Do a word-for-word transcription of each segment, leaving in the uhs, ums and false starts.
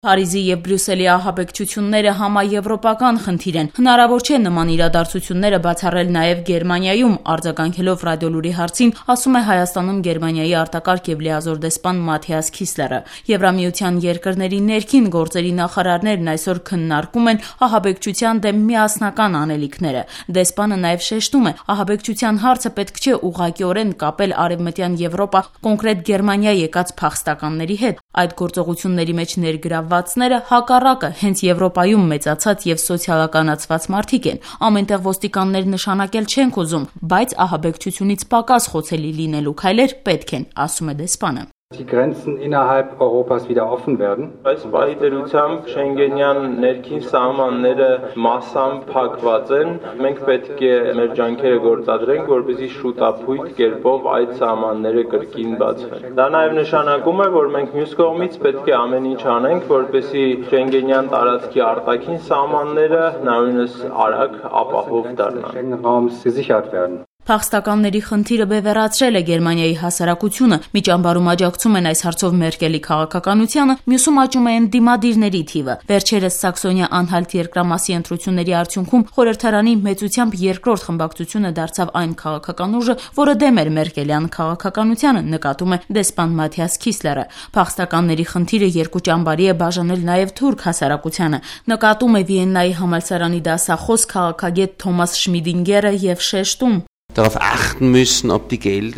Փարիզի եւ Բրյուսելի ահաբեկչությունները համաեվրոպական խնդիր են։ Հնարավոր չէ նման իրադարձությունները բացառել նաեւ Գերմանիայում, արձագանքելով Ռադիոլուրի հարցին, ասում է Հայաստանում Գերմանիայի արտակարգ եւ լիազոր դեսպան Մաթիաս Քիսլերը։ Եվրամիության երկրների ներքին գործերի նախարարներն այսօր քննարկում են ահաբեկչության դեմ միասնական անելիքները։ Դեսպանը նաեւ շեշտում է, ահաբեկչության հարցը պետք չէ ուղղակիորեն կապել Արևմտյան Եվրոպա, կոնկրետ Գերմանիա եկած փախստականների հետ։ Այդ գործողությունների մեջ ներգրավվածները հակառակը հենց Եվրոպայում մեծացած եւ սոցիալականացված մարդիկ են։ Ամենտեղ ոստիկաններ նշանակել չենք ուզում, բայց ահաբեկչությունից պակաս խոցելի լինելու քայլեր պետք են, ասում է դեսպանը։ Die Grenzen innerhalb Europas wieder offen werden. Այս պահի դերությամբ Շենգենյան ներքին սահմանները massամբ փակված են։ Մենք պետք է մեր ջանքերը գործադրենք, որպեսզի շուտապույտ կերպով այդ սահմանները կրկին բացվեն։ Դա նաև նշանակում է, որ մենք մյուս կողմից պետք է ամեն ինչ անենք, որպեսզի Շենգենյան տարածքի արտաքին սահմանները նույնպես արագ ապահով դառնան։ Փախստականների խնդիրը բևեռացրել է Գերմանիայի հասարակությունը, մի ճամբարում աջակցում են այս հարցով Մերկելի քաղաքականությանը, մյուսում աճում է ընդդիմադիրների թիվը։ Վերջերս Սաքսոնիա-Անհալտ երկրամասի ընտրությունների արդյունքում խորհրդարանի մեծությամբ երկրորդ խմբակցությունը դարձավ այն քաղաքական ուժը, որը դեմ էր Մերկելյան քաղաքականությանը, նկատում է դեսպան Մաթիաս Քիսլերը։ Փախստականների խնդիրը երկու ճամբարի է բաժանել նաև թուրք հասարակությանը, նկատում է Վիեննայի համալսարանի դասախոս քաղաքագետ Թոմաս Շմիդինգերը եւ շեշտում.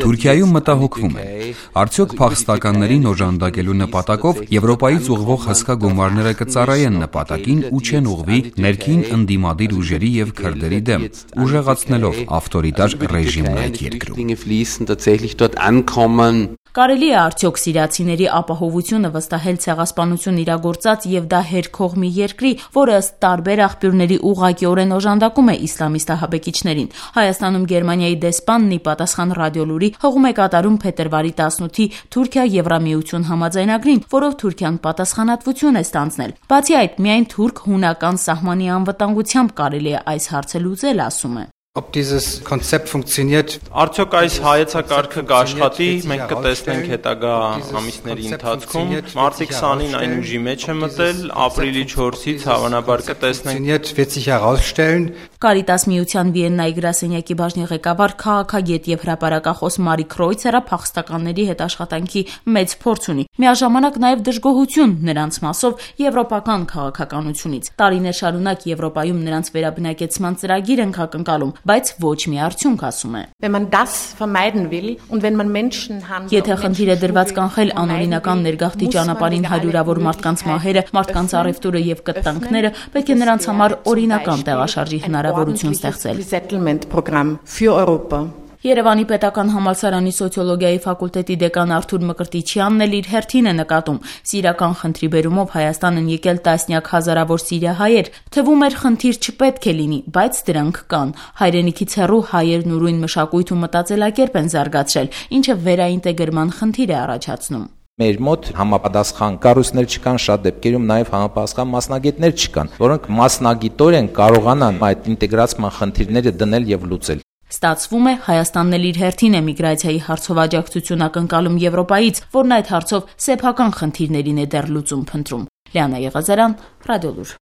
Թուրքիայում մտահոգվում են, արդյոք փախստականներին օժանդակելու նպատակով Եվրոպայից ուղղվող հսկա գումարները կծառայեն նպատակին ու չեն ուղղվի ներքին ընդդիմադիր ուժերի եւ քրդերի դեմ, ուժեղացնելով ավտորիտար ռեժիմն այդ երկրում։ Կարելի է արդյոք սիրիացիների ապահովությունը վստահել ցեղասպանություն իրագործած եւ դա հերքող մի երկրի, որը ըստ տարբեր աղբյուրների ուղղակիորեն օժանդակում է իսլամիստ ահաբեկիչներին։ Հայաստանում Գերմանիայի դեսպանն ի պատասխան Ռադիոլուրի հղում է կատարում փետրվարի տասնութի Թուրքիա-Եվրամիություն համաձայնագրին, որով Թուրքիան պատասխանատվություն է ստանձնել։ Բացի այդ, միայն թուրք-հունական սահմանի անվտանգությամբ կարելի է այս հարցը լուծել, ասում է։ Ob dieses Konzept funktioniert. Արդյոք այս հայեցակարգը կաշխատի, մենք կտեսնենք հետագա ամիսների ընթացքում։ Մարտի քսանին այն ուժի մեջ է մտել, ապրիլի չորսից հավանաբար կտեսնենք։ Wird sich herausstellen. Կարիտաս միության Վիեննայի գրասենյակի բաժնի ղեկավար քաղաքագետ եւ հրապարակախոս Մարի Քրոյցերը փախստականների հետ աշխատանքի մեծ փորձ ունի։ Միաժամանակ նաեւ դժգոհություն նրանց մասով եվրոպական քաղաքականությունից։ Տարիներ շարունակ Եվրոպայում նրանց վերաբնակեցման ծրագիր ենք ակնկալում, բայց ոչ մի արդյունք, ասում է։ Եթե խնդիրը դրված կանխել անօրինական ներգաղթի ճանապարհին հարյուրավոր մարդկանց մահերը, մարդկանց առևտուրը եւ կտանքները, պետք է նրանց համար օրինական տեղաշարժի հնարավորություն ստեղծել։ Երևանի պետական համալսարանի սոցիոլոգիայի ֆակուլտետի դեկան Արթուր Մկրտիչյանն էլ իր հերթին է նկատում. սիրական խնդրի բերումով Հայաստան են եկել տասնյակ հազարավոր սիրիահայեր, թվում էր խնդիր չպետք է լինի, բայց դրանք կան։ Հայրենիքից հեռու հայերն ուրույն մշակույթ ու մտածելակերպ են զարգացրել, ինչը վերաինտեգրման խնդիր է առաջացնում։ Մեր մոտ համապատասխան կառույցներ չկան, շատ դեպքերում նաև համապատասխան մասնագետներ չկան, որոնք մասնագիտորեն կարողանան այդ ինտեգրացման խնդիրները դնել եւ լուծել։ Ստացվում է, Հայաստանն էլ իր հերթին է միգրացիայի հարցով աջակցություն ակնկալում Եվրոպայից, որն այդ հարցով սեփական խնդիրներին է դեռ լուծում փնտրում։ Լիանա Եղազարյան, Ռադիոլուր։